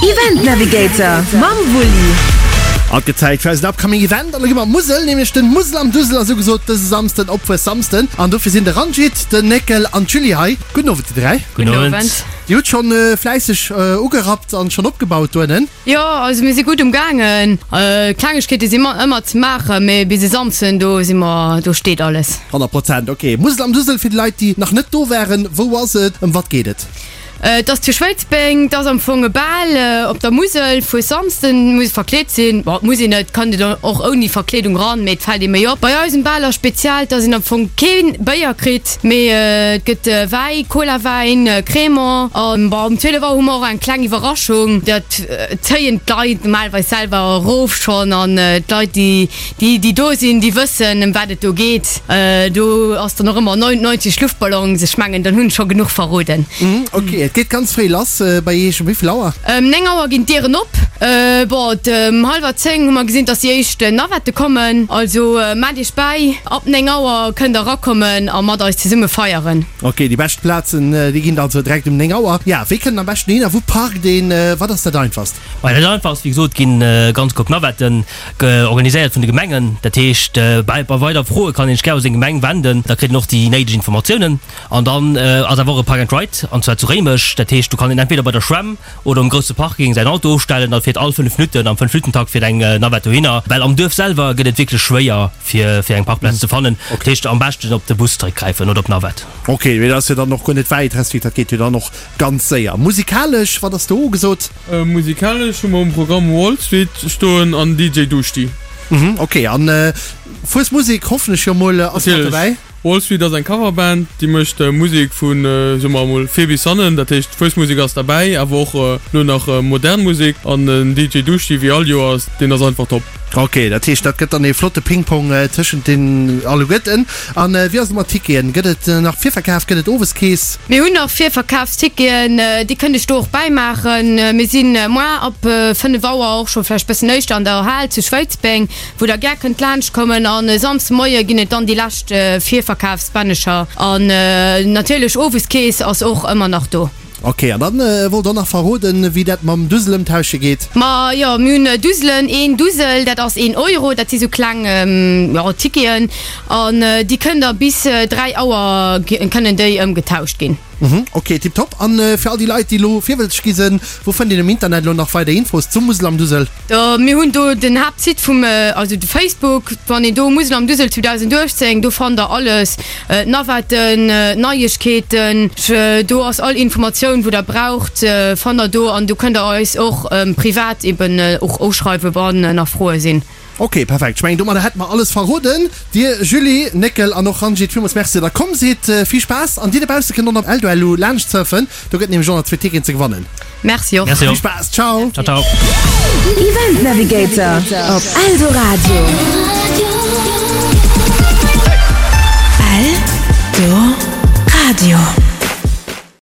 Event Navigator mam Wulli. Haut gëtt Zäit fir eisen upcoming Event an da gi mer Musel, nämlech den Musel am Dusel ass ugesot dëse Samsden op Fuessamsden an dofir sinn de Ranjit, den Néckel an d'Julie hei. Gudden Owend dir 3. Gudden Owend. Dir hutt schonn fläisseg ugerappt an schonn opgebaut dohennen. Jo, also mir si gutt um gaangen. Klengegkeete si ëmmer ze maachen, mee bis e Samsden, do si mer, do steet alles. 100 Prozent, ok. Musel am Dusel, fir déi Leit, déi nach net do waren, wou ass et, ëm wat geet et? Et ass zu Schwéidsbeng, et ass am Fong e Bal op der Musel. Fuessamsden muss ee verkleet sinn. Bon, et muss een net, et kann een och ouni Verkleedung ran, mee et fält ee méi op. Bei eisem Bal ass speziell, dass een am Fong kee Béier kritt. Mee et gëtt Wäi, Cola-Wäin, Crémant an bon um 12 Auer hu mer och eng kleng Iwwerraschung. Dat zéien d'Leit normalerweis selwer erof schonn an d'Leit déi déi do sinn, déi wëssen ëm wat et do geet. Do ass dann och ëmmer 99 Luftballons, ech mengen dann hunn ech scho genuch verroden. Ok, et geet ganz fréi lass bei Iech. Um wéi vill Auer? Ëm 9 Auer ginn d'Dieren op. Bon, ëm hallwer 10 hu mer gesinn, dass déi éischt Navette kommen. Also maacht Iech bäi. Ab 9 Auer kënnt der erakommen a mat eis zesumme feieren. Ok, déi bescht Plazen, déi ginn also direkt um 9 Auer. Ja, wéi kënnt en am beschten hin a wou parkt een? Wat ass dat einfachst? Maja, dat einfachst, wéi gesot, ginn ganz gutt Navetten organiséiert vun de Gemengen. Dat heescht, bei weider Froe kann een sech gär u seng Gemeng wenden, da kritt een och déi néideg Informatiounen. An dann ass awer och e Park and Ride, an zwar zu Réimech. Dat heescht, do kann een entweder bei der Schwämm oder um grousse Parking säin Auto ofstellen, da fiert all 5 Minutten, am 5 Minutten-Takt fiert eng Navette dohinner. Well am Duerf selwer gëtt et wierklech schwéier, fir fir eng Parkplaz ze fannen. Dat heescht, am beschten op de Bus zeréckgräifen oder op d'Navette. Ok, mee dat ass jo dann och guer net wäit, respektiv dat geet jo dann och ganz séier. Musikalesch, wat ass do ugesot? Musikalesch hu mer um Programm Wall Street stoen an DJ Duschti. Ok, an Fuesmusek hoffen ech jo mol ass mat dobäi? Wall Street ass eng Coverband, déi mécht Musek vu, soe mer emol, vir bis hannen. Dat heescht, Fuesmusek ass derbäi, awer och elo nach modern Musek. An den DJ Duschti, wéi all Joers, deen ass einfach top. Ok, dat heescht, dat gëtt dann ee flotte Ping-Pong tëschent den alleguerten. An wéi ass et mat Ticketen? Gëtt et nach Virverkaf? Gëtt et Oweskeess? Mir hunn nach Virverkafsticketen, déi kënnt ech do och bäimaachen. Mir si moar ab 5 Auer, och scho vläicht bëssen éischter, an der Hal zu Schwéidsbeng. Wou der gär kënnt laanscht kommen. An e Samsde Moie ginn et dann déi lescht Virverkafsbännecher. An natierlech Oweskeess ass och ëmmer nach do. Ok, an dann wollt der och nach verroden, wéi dat mam Dusel ëmtausche geet? Ma jo, mir hunn Duselen, een Dusel, dat ass een Euro, dat si sou kleng, jo, Ticketen. An déi kënnt der bis 3 Auer kënnen déi ëmgetauscht ginn. Ok, tiptop. An fir all déi Leit, déi elo virwëlzeg gi sinn, wou fënnt een um Internet elo nach weider Infos zum Musel am Dusel? Mir hunn do den Haaptsite vum, also de Facebook, wann een do Musel am Dusel 2018, do fannt der alles, d'Navetten, d'Neiegkeeten, do ass all Informatioun wou der braucht, fannt der do an do kënnt der eis och privat eben och uschreiwen, wann nach Froe sinn. Ok, perfekt. Ech mengen domadder hätte mer alles verroden. Dir Julie, Néckel an och Ranjit, villmools Merci datt der komm sidd. Vill Spaass an dir dobausse kënnt och op Eldoellu laanscht surfen, do gëtt nämlech och nach zwee Ticketen ze gewannen. Merci och. Vill Spaass, ciao. Ciao ciao. Event Navigator op Eldoradio. Eldoradio.